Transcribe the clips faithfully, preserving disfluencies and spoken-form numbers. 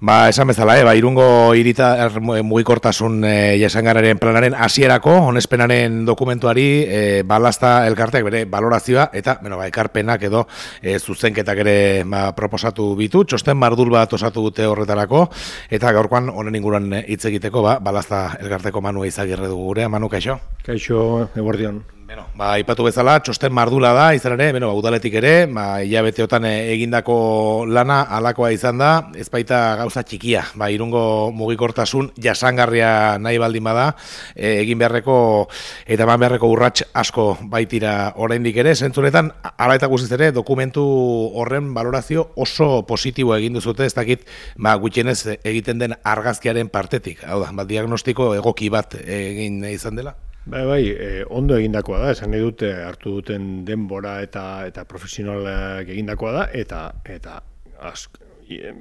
Ba, esan bezala, eh, ba, Irungo hirita er, mugikortasun eh, jasangarraren planaren hasierako onespenaren dokumentuari eh, balazta elkarteak bere balorazioa eta bueno, ba, ekarpenak edo eh, zuzenketak ere ba, proposatu bitu, txosten mardul bat osatu dute horretarako eta gaurkoan honen inguruan hitz egiteko ba, balazta elkarteko Manu Izagirre dugu gure. Manu, kaixo? Kaixo, eguerdion. Bueno, ba, ipatu bezala, txosten mardula da, izan ere, bueno, ba, udaletik ere, ba, hilabeteotan egindako lana alakoa izan da, ez baita gauza txikia, ba, Irungo mugikortasun jasangarria nahi baldin bada, e, egin beharreko eta eman beharreko urrats asko baitira oraindik ere, zentzunetan, ala eta guztiz ere, dokumentu horren valorazio oso positibo egin duzute, ez dakit, ba, gutxienez egiten den argazkiaren partetik, hau da, ba, diagnostiko egoki bat egin izan dela? Bai, bai, eh, ondo egindakoa da, esan nahi dute hartu duten denbora eta eta profesionalak egindakoa da, eta eta ask, e,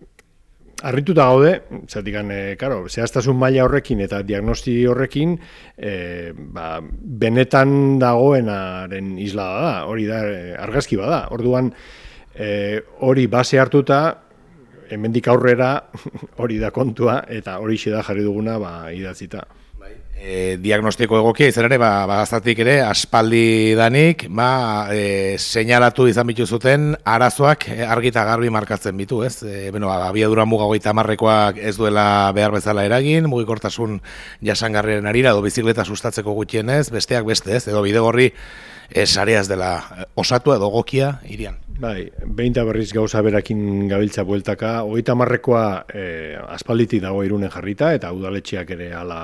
harrituta gaude, zatikan, e, karo, zehaztasun maila horrekin eta diagnosti horrekin, e, ba, benetan dagoenaren islada da, hori da, e, argazki bada. Orduan, e, hori base hartuta, hemendik aurrera hori da kontua, eta hori da jarri duguna ba, idatzita. E, diagnostiko egokia izan ere, ba, bagaztatik ere, aspaldi danik, ba, e, seinalatu izan bitu zuten, arazoak argi eta garbi markatzen bitu, ez? E, bueno, abiadura muga hogeita hamarrekoak ez duela behar bezala eragin, mugikortasun jasangarriaren arira, edo bizikleta sustatzeko gutxienez, besteak beste, ez? Edo bidegorri ez areaz dela osatu edo egokia irian. Bai, behin eta berriz gauza berakin gabiltza bueltaka, hogeita hamarrekoa e, aspalditik dago Irunen jarrita, eta udaletxeak ere hala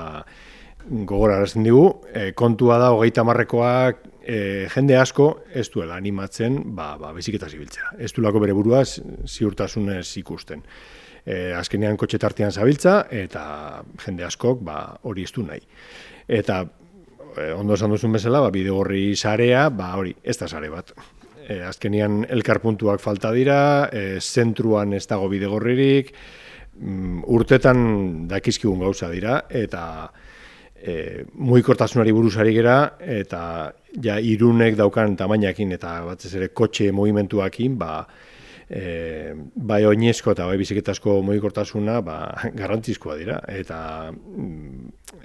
gogorarazten digu, e, kontua da hogeita hamarrekoak e, jende asko ez duela animatzen ba, ba, biziketa zibiltzea. Ez duelako bere buruaz ziurtasunez ikusten. E, azkenean kotxe tartean zabiltza eta jende askok ba, hori ez du nahi. Eta e, ondo esan duzun bezala, ba, bidegorri sarea, ba, hori, ez da sare bat. E, azkenean elkarpuntuak falta dira, e, zentruan ez dago bidegorririk, mm, urtetan dakizkigun gauza dira, eta E, mugikortasunari buruzari gera eta ja Irunek daukan tamainakin eta batez ere kotxe movimentuakin ba, e, bai oinezko eta bai biziketasko mugikortasuna ba, garrantzizkoa dira eta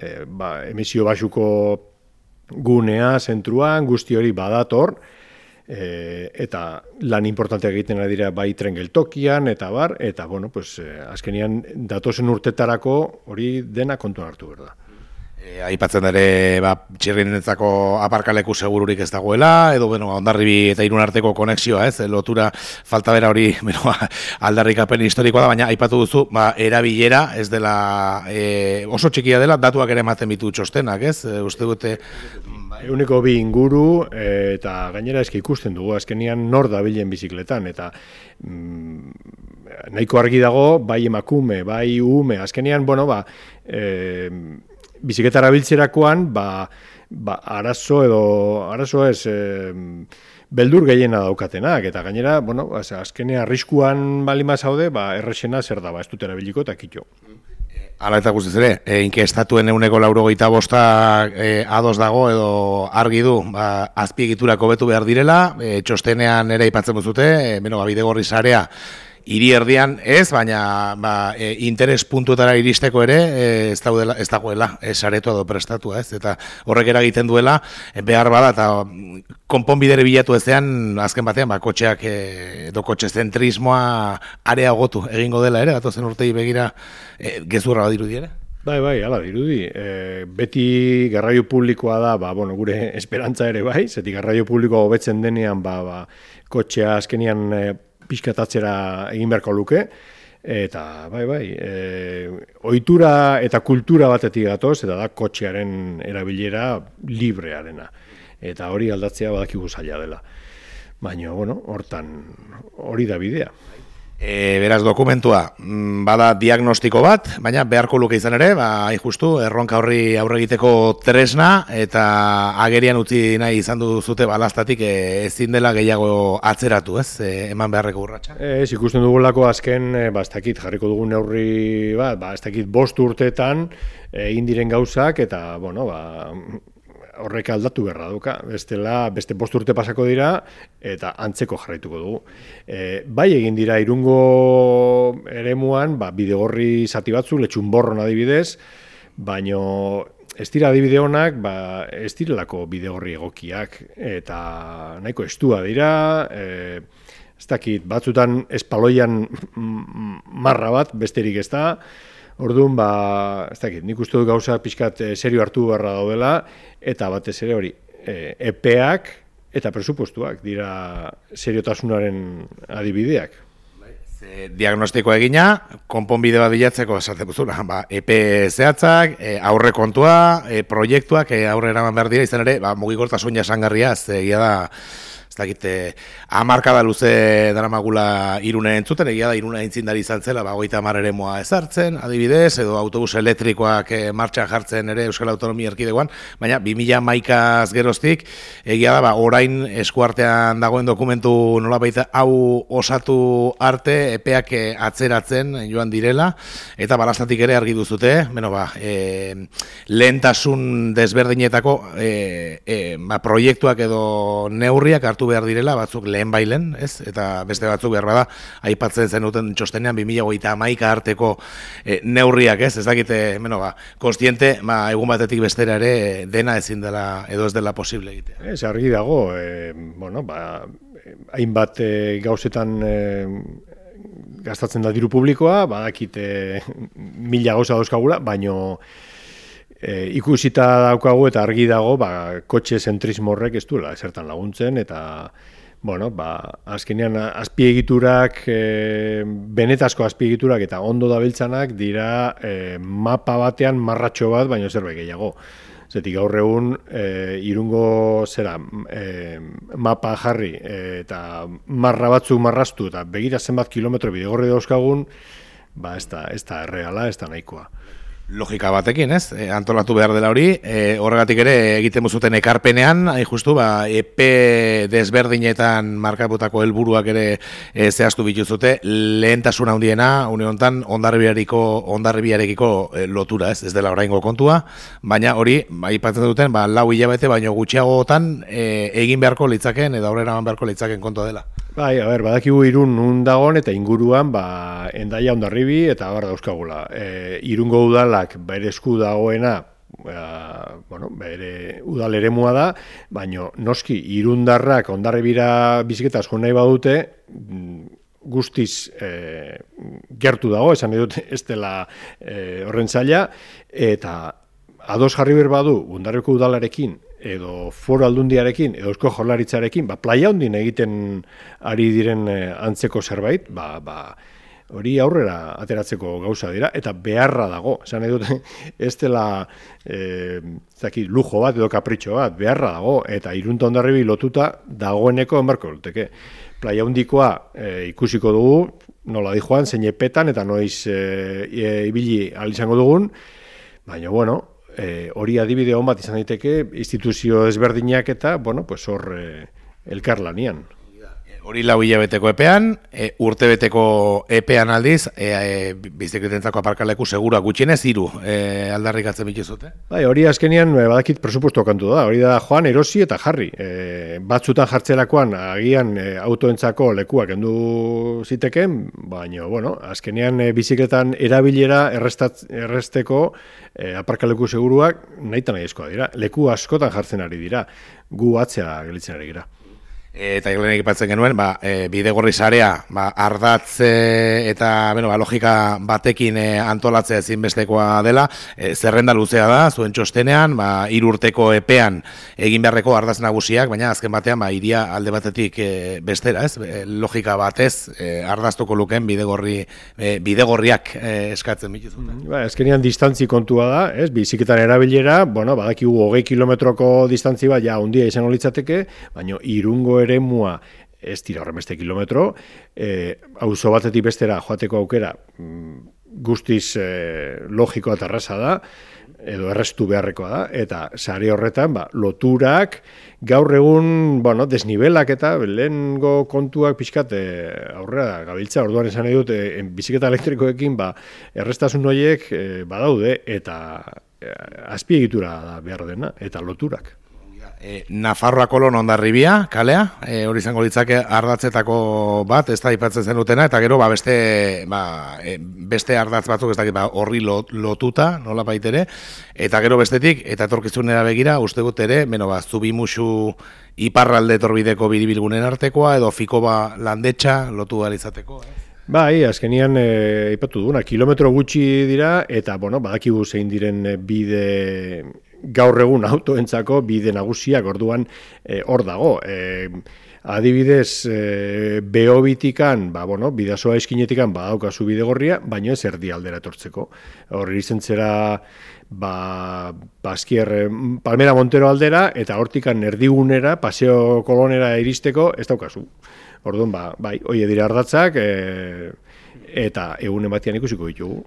e, ba, emisio basuko gunea, zentruan, guzti hori badator e, eta lan importanteak egiten ari dira bai tren geltokian eta bar, eta bueno, pues, e, azkenean datozen urtetarako hori dena kontuan hartu behar da. E, aipatzen ere ba, txirrinentzako aparkaleku segururik ez dagoela, edo bueno, Hondarribi eta Irun arteko konexioa, ez, lotura falta bera hori bueno, aldarrikapen historikoa da, baina aipatu duzu, ba, erabilera ez dela e, oso txikia dela, datuak ere ematen bitu txostenak, ez, e, uste dute... Euneko bi inguru e, eta gainera eski ikusten dugu, azkenean nor dabilen bizikletan, eta mm, nahiko argi dago, bai emakume, bai ume, azkenean, bueno, ba... E, biziketara biltzerakoan, ba, ba, arazo edo, arazo ez, e, beldur gehiena daukatenak, eta gainera, bueno, azkenea arriskuan bali mazaude, ba, errexena zer da, ba, ez dut erabiliko eta kitxo. Hala eta guztiz ere, e, inkestatuen euneko laurogeita bosta e, ados dago edo argi du, ba, azpiegiturak hobetu behar direla, e, txostenean ere aipatzen duzute, e, beno, ba, bidegorri sarea, hiri erdian ez, baina ba, e, interes puntuetara iristeko ere e, ez, daudela, ez dagoela e, saretua edo prestatua, ez? Eta horrek eragiten duela e, behar bada eta konponbidere bilatu ezean azken batean ba, kotxeak e, edo kotxe zentrismoa areagotu egingo dela ere, datozen urtei begira e, gezurra badirudi ere? Bai, bai, hala dirudi. E, beti garraio publikoa da, ba, bueno, gure esperantza ere bai, zetik garraio publikoa hobetzen denean, ba, ba, kotxea azkenian e, pixkatatzera egin beharko luke, eta bai, bai, e, ohitura eta kultura batetik gatoz, eta da kotxearen erabilera librearena. Eta hori aldatzea badakigu zaila dela. Baina, bueno, hortan hori da bidea. E, beraz, dokumentua, bada diagnostiko bat, baina beharko luke izan ere, ba, hain justu, erronka horri aurre egiteko tresna, eta agerian utzi nahi izan duzute balaztatik e, ezin dela gehiago atzeratu, ez, e, eman beharreko urratsa. Ez, ikusten dugulako azken, ba, ez dakit, jarriko dugun neurri, ba, ba ez dakit, bost urteetan egin diren gauzak, eta, bueno, ba, horrek aldatu beharra duka, bestela beste bost urte pasako dira eta antzeko jarraituko dugu. E, bai egin dira Irungo eremuan, ba, Bidegorri zati batzu, Letxunborron adibidez, baino ez dira adibide honak, ba, ez direlako Bidegorri egokiak, eta nahiko estua dira, e, ez dakit, batzutan espaloian marra bat, besterik ez da. Orduan, ba, ez dakit, nik uste dut gauza pixkat serio hartu beharra daudela, eta batez ere hori, epeak eta presupuestuak dira seriotasunaren adibideak. Diagnostiko egina, konponbide bat bilatzeko esaten duzuna, ba, epe zehatzak, e, aurre kontua, e, proiektuak e, aurre eraman behar dira, izan ere, ba, mugikortasun jasangarria, egia da, ez dakit, hamarkada luze daramagula Irune entzuten, egia da Irune aintzindari izan zela, ba, hogeita hamar eremua ezartzen, adibidez, edo autobus elektrikoak e, martxan jartzen ere Euskal Autonomia Erkidegoan, baina bi mila hamaikaz geroztik, egia da, ba, orain eskuartean dagoen dokumentu nolabait hau osatu arte, epeak e, atzeratzen joan direla, eta balastatik ere argi duzute, beno, ba, e, lehentasun desberdinetako e, e, ba, proiektuak edo neurriak hartu behar direla, batzuk lehen bailen, ez? Eta beste batzuk behar bada, aipatzen zenuten txostenean bi mila hogeita hamaika arteko e, neurriak, ez? Ez dakite, bueno, ba, konstiente, ba, egun batetik bestera ere dena ezin dela, edo ez dela posible egitea. Ez, argi dago, e, bueno, ba, hainbat e, gauzetan e, gastatzen da diru publikoa, badakite mila gauza dauzkagula, baino E, ikusita daukagu eta argi dago, ba, kotxe zentrismo horrek ez duela esertan laguntzen, eta, bueno, ba, azkenean azpiegiturak, e, benetazko azpiegiturak eta ondo dabiltzanak dira e, mapa batean marratxo bat, baino zerbait gehiago. Zetik gaur egun, e, Irungo zera, e, mapa jarri e, eta marra batzuk marraztu eta begira zenbat kilometro bidegorri dauzkagun, ba, ez da, ez da erreala, ez da nahikoa. Logika batekin, ez? E, antolatu behar dela hori, e, horregatik ere egiten zuten ekarpenean, hain justu, ba, epe desberdinetan markaputako helburuak ere e, zehaztu bituzute, lehentasun handiena, une honetan, ondarribiarekiko ondarribiarekiko e, lotura, ez? Ez dela oraingo kontua, baina hori, ba, aipatzen duten, ba, lau hilabete, baino gutxiagotan e, egin beharko litzaken, edo aurrera eman beharko litzaken kontua dela. Bai, a ber, badakigu Irun nun dagoen eta inguruan, ba, Hendaia, Hondarribi eta bar dauzkagula. E, Irungo udalak bere esku dagoena, ba, bueno, bere udal eremua da, baino noski Irundarrak Hondarribira biziketaz jo nahi badute, guztiz e, gertu dago, esan edut ez dela e, horren zaila, eta ados jarri behar badu Hondarribiko udalarekin, edo Foru Aldundiarekin, edo Eusko Jaurlaritzarekin, ba, playa hondin egiten ari diren antzeko zerbait, ba, ba, hori aurrera ateratzeko gauza dira, eta beharra dago. Esan edut, ez dela e, zaki, lujo bat edo kapritxo bat, beharra dago, eta Irunta Hondarribi lotuta dagoeneko enbarko luteke. Playa hondikoa e, ikusiko dugu, nola di joan, zein epetan, eta noiz e, e, ibili alizango dugun, baina, bueno, E, hori adibide hon bat izan daiteke instituzio ezberdinak eta, bueno, pues hor e, elkarlanian. Hori lau hilabeteko epean, e, urtebeteko epean aldiz, e, e, bizikletentzako aparkaleku segura gutxienez hiru e, aldarrikatzen bituzute. Bai, hori azkenean badakit presupuesto kantu da, hori da joan erosi eta jarri. E, batzutan jartzerakoan agian e, autoentzako lekuak kendu ziteken, baina, bueno, azkenean e, bizikletan erabilera errestat, erresteko e, aparkaleku seguruak nahi eta nahi eskoa dira. Leku askotan jartzen ari dira, gu atzea gelitzen ari gira. Eta eglenek ipatzen genuen, ba, e, Bidegorri sarea, ba, ardatz e, eta bueno, ba, logika batekin e, antolatzea ezinbestekoa dela, e, zerrenda luzea da, zuen txostenean, ba, hiru urteko epean egin beharreko ardatz nagusiak, baina azken batean ba, iria alde batetik e, bestera, ez? E, logika batez e, ardaztuko luken Bidegorri, e, Bidegorriak e, eskatzen bituzuten. Ba, azkenean distantzi kontua da, ez? Biziketan erabilera, bueno, badakigu hogei kilometroko distantzi bat, ja, hundia izango litzateke, baina Irungo eremua ez dira horrenbeste kilometro, e, auzo batetik bestera joateko aukera guztiz e, logikoa eta erraza da, edo errestu beharrekoa da, eta sare horretan, ba, loturak, gaur egun, bueno, desnibelak eta lehengo kontuak pixkat e, aurrera gabiltza, orduan esan nahi dut, e, biziketa elektrikoekin, ba, errestasun horiek e, badaude, eta azpiegitura da behar dena, eta loturak. E, Nafarroa kolon Hondarribia, kalea, e, hori izango litzake ardatzetako bat, ez da aipatzen zenutena, eta gero ba, beste, ba, e, beste ardatz batzuk ez dakit, ba, horri lot, lotuta, nola baitere, eta gero bestetik, eta etorkizunera begira, uste gut ere, beno, ba, Zubimusu iparralde torbideko biribilgunen artekoa, edo Fikoba landetxa lotu izateko, eh? Bai, azkenian e, ipatu duguna, kilometro gutxi dira, eta, bueno, badakigu zein diren bide gaur egun autoentzako bide nagusiak orduan hor e, dago. E, adibidez, e, Beobitikan, ba, bueno, bidasoa eskinetikan badaukazu bide gorria, baino ez erdi aldera etortzeko. Hor irizten zera ba, Baskier, Palmera Montero aldera, eta hortikan erdigunera, Paseo Kolonera iristeko, ez daukazu. Orduan, ba, bai, oie dira ardatzak, e, eta egunen batian ikusiko ditugu.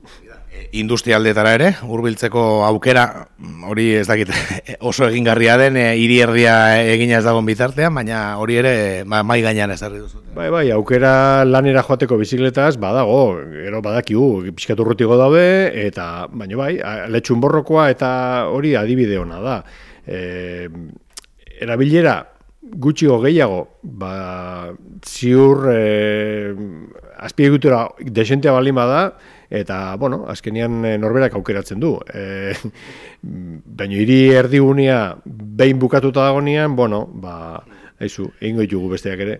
Industrialdetara ere, hurbiltzeko aukera, hori ez dakit oso egingarria den, e, hiri erdia egina ez dagoen bitartean, baina hori ere ba, mai gainean ezarri duzu. Bai, bai, aukera lanera joateko bizikletaz badago, gero badakigu, pixkatu urrutiko daude, eta, baina bai, letxunborrokoa eta hori adibide ona da. E, erabilera, gutxiko gehiago, ba, ziur e, azpiegitura desentea balin bada, eta, bueno, azkenian norberak aukeratzen du. E, baina hiri erdigunea behin bukatuta dagonean, bueno, ba, haizu, egingo ditugu besteak ere.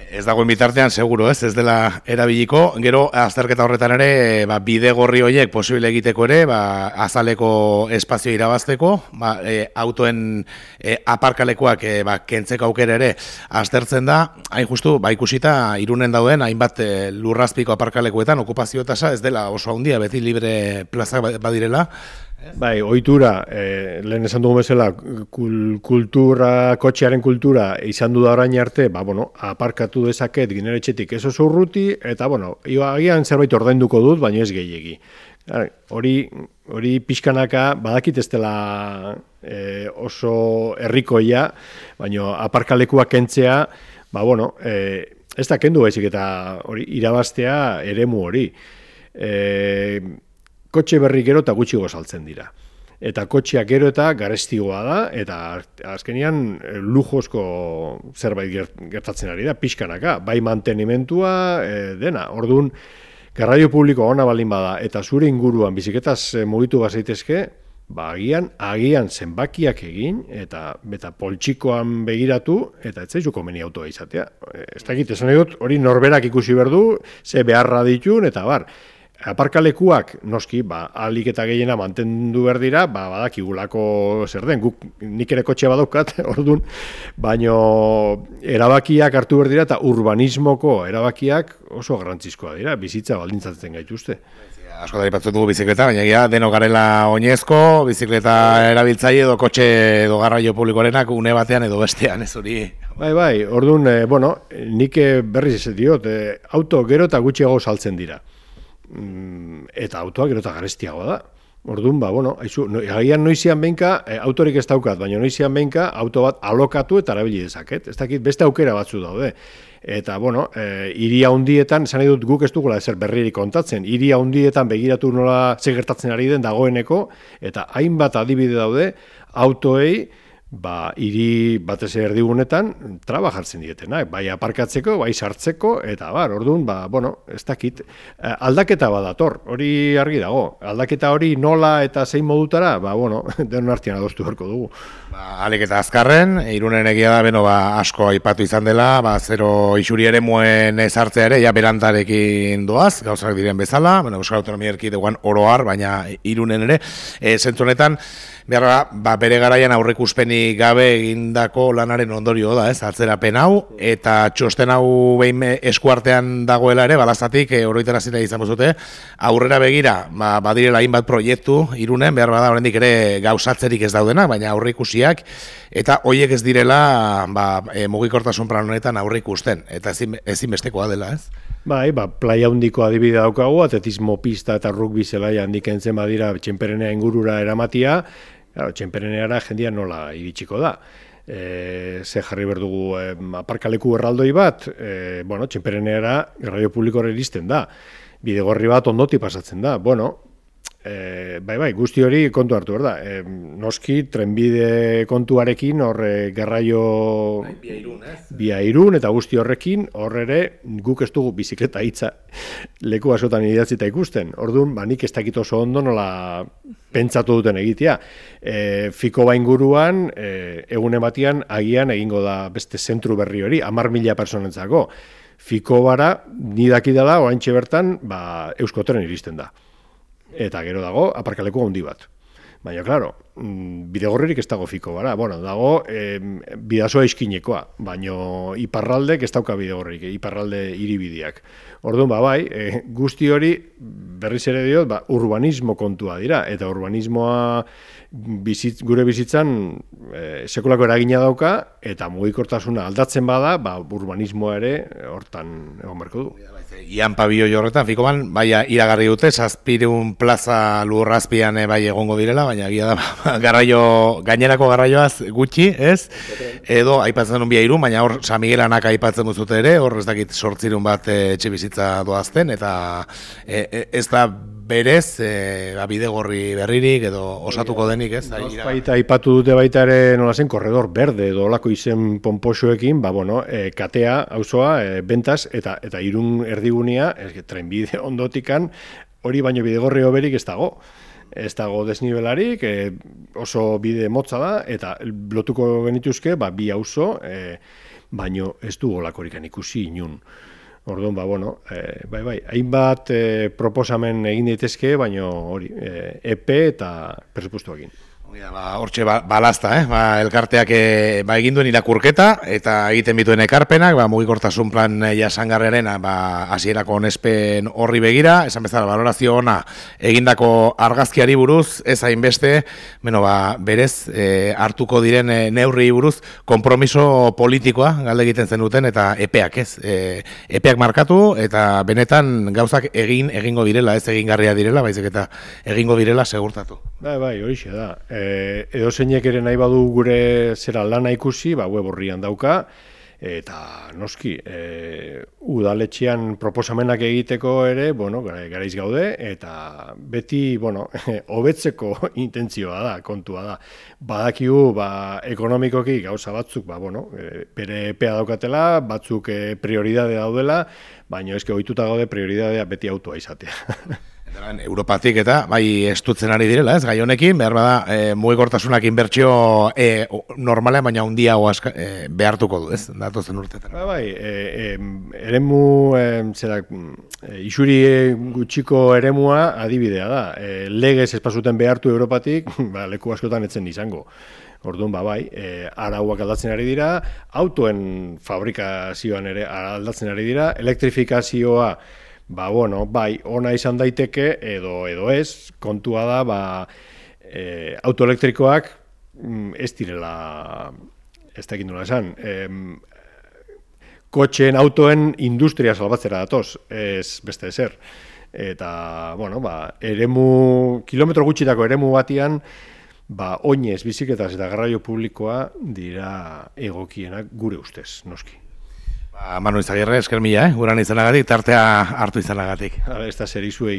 Ez dagoen bitartean, seguro, ez, ez dela erabiliko. Gero, azterketa horretan ere, ba, bide gorri horiek posible egiteko ere, ba, azaleko espazio irabazteko, ba, e, autoen e, aparkalekuak e, ba, kentzeko aukera ere aztertzen da, hain justu, ba, ikusita, Irunen dauden, hainbat e, lurrazpiko aparkalekuetan, okupazio tasa ez dela oso handia, beti libre plazak badirela. Bai, ohitura, eh, lehen esan dugu bezala, kul, kultura, kotxearen kultura izan du da orain arte, ba, bueno, aparkatu dezaket gineretxetik ez oso urruti, eta, bueno, agian zerbait ordainduko dut, baina ez gehiegi. Hori, hori pixkanaka, badakit ez dela eh, oso herrikoia, baina aparkalekuak kentzea, ba, bueno, eh, ez da kendu baizik eta hori irabaztea eremu hori. Eh, Kotxe berri gero eta gutxigo saltzen dira. Eta kotxeak gero eta garestigoa da, eta azkenean lujozko zerbait gertatzen ari da, pixkanaka, bai mantenimentua, e, dena. Orduan, garraio publiko ona balin bada, eta zure inguruan biziketaz mugitu bazaitezke, ba, agian, agian zenbakiak egin, eta beta poltsikoan begiratu, eta ez zaizu komeni autoa izatea. Ez dakit, esan dut, hori norberak ikusi berdu, ze beharra ditun, eta bar. Aparkalekuak, noski, ba, ahalik eta gehiena mantendu behar dira, ba, badakigulako zer den, guk nik ere kotxe badaukat, orduan, baino erabakiak hartu behar dira, eta urbanismoko erabakiak oso garrantzizkoa dira, bizitza baldintzatzen gaituzte. Asko da ipatzen dugu bizikleta, baina ja, denok garela oinezko, bizikleta erabiltzaile edo kotxe edo garraio publikoarenak une batean edo bestean, ez hori. Bai, bai, orduan, eh, bueno, nik berriz ez diot, eh, auto gero eta gutxiago saltzen dira. Eta autoa gero eta garestiagoa da. Orduan, ba, bueno, haizu, no, agian noizian behinka, e, autorik ez daukat, baina noizian behinka, auto bat alokatu eta erabili dezaket. Ez dakit, beste aukera batzu daude. Eta, bueno, e, iria hundietan, esan nahi dut guk ez dugula ezer berririk kontatzen, iria hundietan begiratu nola segertatzen ari den dagoeneko, eta hainbat adibide daude, autoei, ba, hiri batez erdigunetan traba jartzen dietena, bai aparkatzeko, bai sartzeko, eta bar, orduan, ba, bueno, ez dakit, aldaketa badator, hori argi dago, aldaketa hori nola eta zein modutara, ba, bueno, denon artean adostu beharko dugu. Ba, alik eta azkarren, Irunen egia da, beno, ba, asko aipatu izan dela, ba, zero isuri ere muen ezartzea ere, ja berantarekin doaz, gauzak diren bezala, bueno, Euskal Autonomia Erkidegoan oroar, baina Irunen ere, e, zentzu honetan, behar ba, bere garaian aurreikuspenik gabe egindako lanaren ondorio da, ez, atzerapen hau, eta txosten hau behin eskuartean dagoela ere, balazatik, e, oroitara zira izan bozute, aurrera begira, ba, badirela hainbat proiektu Irunen, behar bada oraindik ere gauzatzerik ez daudena, baina aurreikusiak, eta hoiek ez direla ba, e, mugikortasun plan honetan aurreikusten, eta ezin, ezinbestekoa dela, ez? Bai, ba, playa hundiko adibide daukagu, atletismo pista eta rugby zelaia handik entzen badira Txenperenea ingurura eramatia, claro, Txenpereneara jendia nola iritsiko da. E, ze jarri berdugu e, aparkaleku erraldoi bat, e, bueno, Txenpereneara garraio publikora iristen da. Bidegorri bat ondoti pasatzen da. Bueno, e, bai, bai, guzti hori kontu hartu, berda. E, noski, trenbide kontuarekin, horre garraio... Bia irun, ez? Bia irun, eta guzti horrekin, horre ere, guk ez dugu bizikleta hitza leku askotan idatzita ikusten. Orduan, ba, nik ez dakit oso ondo nola pentsatu duten egitea. E, Fiko inguruan, e, egunen batian, agian egingo da beste zentru berri hori, hamar mila personentzako. Fiko bara, ni dakidala, oraintxe bertan, ba, Euskotren iristen da. Eta gero dago, aparkaleku handi bat. Baina, klaro, bidegorririk ez dago Fiko bara. Bueno, dago e, bidasoa iskinekoa, baina iparraldek ez dauka bidegorririk, iparralde hiribideak. Orduan, ba, bai, e, guzti hori, berriz ere diot, ba, urbanismo kontua dira, eta urbanismoa bizitz, gure bizitzan e, sekulako eragina dauka, eta mugikortasuna aldatzen bada, ba, urbanismoa ere hortan egon berko du. Ian pabio horretan, Fikoban, bai, iragarri dute, zazpireun plaza lurrazpian bai egongo direla, baina gira da, garraio, gainerako garraioaz gutxi, ez? Edo, aipatzen duen bia irun, baina hor, San Miguelanak aipatzen duzute ere, hor ez dakit sortzirun bat etxe bizitza doazten, eta e, e, ez da berez, e, bidegorri berririk edo osatuko denik, ez? Baita aipatu dute baita ere nola zen, korredor berde edo olako izen pomposoekin, ba, bueno, e, katea, auzoa, e, bentas, eta, eta irun erdigunea, ez, trenbide ondotikan, hori baino bidegorri hoberik ez dago. Ez dago desnibelarik, e, oso bide motza da, eta lotuko genituzke, ba, bi auzo, e, baino ez du olakorikan ikusi inun. Orduan, ba, bueno, e, bai, bai, hainbat e, proposamen egin daitezke, baino hori, e, epe eta presupuestoekin. Ba, hortxe ba, balazta, eh? ba, elkarteak e, ba, egin duen irakurketa eta egiten bituen ekarpenak, ba, mugikortasun plan jasangarriaren ba, hasierako onespen horri begira, esan bezala valorazio ona egindako argazkiari buruz, ez hainbeste, bueno, ba, berez e, hartuko diren e, neurri buruz, konpromiso politikoa galde egiten zenuten eta epeak, ez? E, epeak markatu eta benetan gauzak egin egingo direla, ez egingarria direla, baizik eta egingo direla segurtatu. Bai, bai, horixe da. E, edo zeinek ere nahi badu gure zera lana ikusi, ba, web horrian dauka, eta noski, e, udaletxean proposamenak egiteko ere, bueno, garaiz gaude, eta beti, bueno, hobetzeko intentzioa da, kontua da. Badakigu, ba, ekonomikoki gauza batzuk, ba, bueno, bere epea daukatela, batzuk prioridade daudela, baina eske ohituta gaude prioridadea beti autoa izatea. Europatik eta bai estutzen ari direla, ez, gai honekin, behar bada, e, mugikortasunak inbertsio e, normalean, baina handiago e, behartuko du, ez, datozen urteetan. Ba, bai, e, e, eremu, e, zera, e, isuri gutxiko eremua adibidea da. E, legez espazuten behartu Europatik, ba, leku askotan etzen izango. Orduan, ba, bai, e, arauak aldatzen ari dira, autoen fabrikazioan ere aldatzen ari dira, elektrifikazioa, ba, bueno, bai, ona izan daiteke, edo edo ez, kontua da, ba, e, autoelektrikoak ez direla, ez dakit nola esan, e, kotxeen, autoen industria salbatzera datoz, ez beste ezer. Eta, bueno, ba, eremu, kilometro gutxitako eremu batian, ba, oinez, bizikletaz eta garraio publikoa dira egokienak gure ustez, noski. Ba, Manu Izagirre, esker mila, eh? Guran izanagatik, tartea hartu izanagatik. Hala, ez da zer izuei.